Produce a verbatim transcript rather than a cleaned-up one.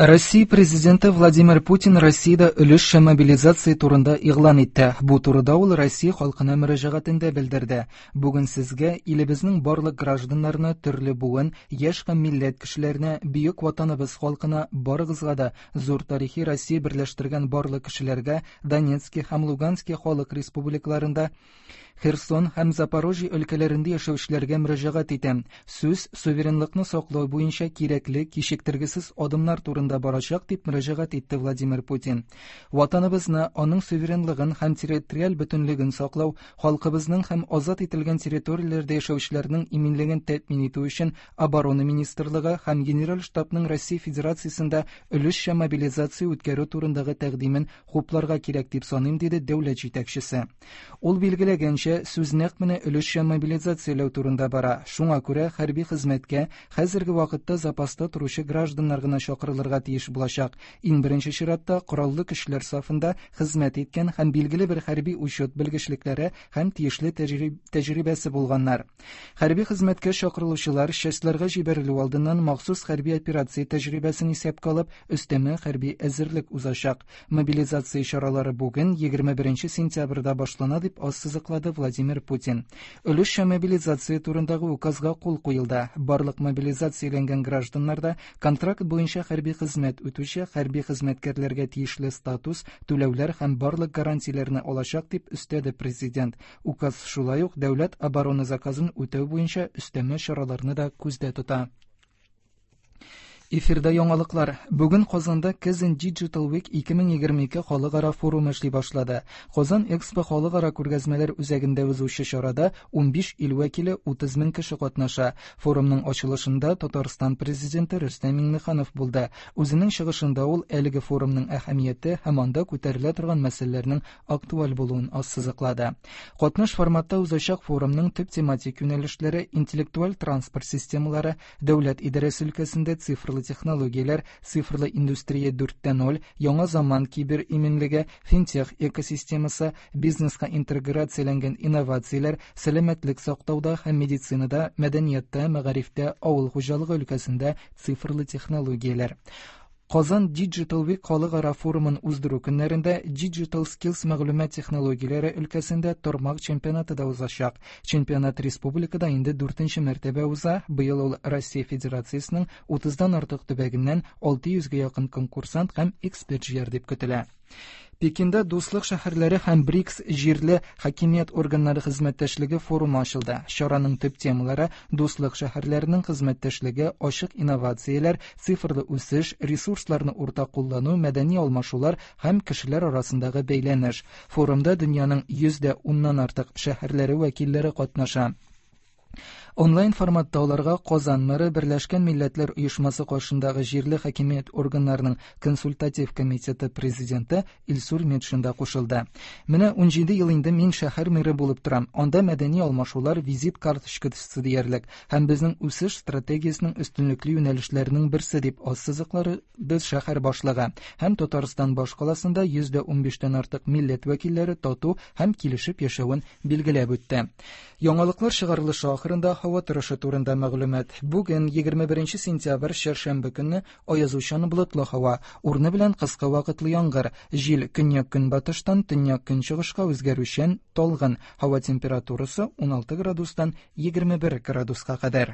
Россия президенты Владимир Путин Россиядә өлешчә мобилизация турында игълан итте. Бу турыда ул Россия халкына мөрәҗәгатендә белдерде. Бүген сезгә, илебезнең барлык гражданнарына, төрле буын, яшь һәм милләт кешеләренә, бөек ватаныбыз халкына, барыгызга да, зур тарихи Россия берләштергән барлык кешеләргә, Донецки һәм Лугански халык республикаларында, Херсон һәм Запорожье өлкәләрендә яшәүчеләргә мөрәҗәгать итәм. Сүз суверенлыкны саклау буенча кирәкле, кичектергесез адымнар турында барачак, дип мөрәҗәгать итте Владимир Путин. Ватаныбызны, аның суверенлыгын һәм территориаль бөтенлеген саклау, халкыбызның һәм азат ителгән территорияләрдә яшәүчеләрнең иминлеген тәэмин итү өчен Оборона министрлыгы һәм Генераль штабның Россия Федерациясендә өлешчә мобилизация үткәрү турындагы тәкъдимен хупларга кирәк дип саныйм, диде дәүләт җитәкчесе. Ул билгеләгәнчә, сүз нәкъ менә өлешчә мобилизацияләү турында бара. Шуңа күрә хәрби хезмәткә хәзерге вакытта запаста торучы гражданнар гына чакырылырга тиеш булачак. Иң беренче чиратта кораллы көчләр сафында хезмәт иткән һәм билгеле бер хәрби учет белгечлекләре һәм тиешле тәҗрибәсе булганнар. Хәрби хезмәткә чакырылучылар частьларга җибәрелү алдыннан махсус хәрби операция тәҗрибәсен исәпкә алып, өстәмә хәрби әзерлек узачак. Мобилизация чаралары бүген егерме беренче сентябрьдә башлана, дип ассызыклады Владимир Путин. Өлешчә мобилизация турындагы указга кул куелды. Барлык мобилизацияләнгән гражданнарда контракт буенча хәрби хезмәт үтүче хәрби хезмәткәрләргә тиешле статус, түләүләр һәм барлык гарантияләрне алачак, дип өстәде президент. Указ шулай ук дәүләт оборона заказын үтәү буенча өстәмә чараларны да күздә тота. Эфирда яңалыклар. Бүген Казанда Kazan Digital Week ике мең егерме ике халыкара форумы эшли башлады. Казан Экспо халыкара күргәзмәләр үзәгендә узучы чарада унбиш ил вәкиле утыз мең кеше катнаша. Форумның ачылышында Татарстан президенты Рөстәм Миңнеханов булды. Үзенең чыгышында ул әлеге форумның әһәмияте һәм анда күтәрелә торган мәсьәләләрнең актуаль булуын ассызыклады. Катнаш форматта узачак форумның төп тематик юнәлешләре интеллектуаль транспорт системалары, дәүләт идарәсе өлкәсендә цифрлы технологияләр, цифрлы индустрия дүрттә ноль, яңа заман кибер иминлеге, финтех экосистемасы, бизнеска интеграцияләнгән инновацияләр, сәламәтлек саклауда һәм медицинада, мәдәниятта, мәгарифтә, авыл хуҗалыгы өлкәсендә цифрлы технологияләр. Казан Digital Week халыкара форумын уздыру көннәрендә Digital Skills мәгълүмат технологияләре өлкәсендә тармак чемпионаты да узачак. Чемпионат республикада инде дүртенче мәртәбә уза. Быел ул Россия Федерациясенең утыздан артык төбәгеннән алты йөзгә якын конкурсант һәм эксперт җыяр дип көтелә. Пекинда Дуслык шәһәрләре һәм БРИКС җирле хакимият органнары хезмәттәшлеге форумы ачылды. Чараның төп темалары Дуслык шәһәрләренең хезмәттәшлеге, ачык инновацияләр, цифрлы үсеш, ресурсларны уртак куллану, мәдәни алмашулар һәм кешеләр арасындагы бәйләнеш. Форумда дөньяның йөз дә уннан артык шәһәрләре вәкилләре катнаша. Онлайн форматта аларга Казан мэры, Берләшкән Милләтләр Оешмасы каршындагы җирле хакимият органнарының консультатив комитеты президенты Илсур Метшин да кушылды. Менә унҗиде ел инде мин шәһәр мэры булып торам. Анда мәдәни алмашулар визит карточкасы диярлек һәм безнең үсеш стратегиясенең өстенлекле юнәлешләренең берсе дип ассызыклады шәһәр башлыгы. Һәм Татарстан башкаласында йөз дә унбиштән артык милләт вәкилләре тату һәм килешеп яшәвен билгеләп үтте. Яңалыклар чыгарылышы ахырында һава торышы турында мәгълүмат. Бүген егерме беренче сентябрь чәршәмбе көнне аязучан болытлы һава, урыны белән кыска вакытлы яңгыр, җил көньяк-көнбатыштан төньяк-көнчыгышка үзгәрүчән талгын. Һава температурасы уналты градустан егерме бер градуска кадәр.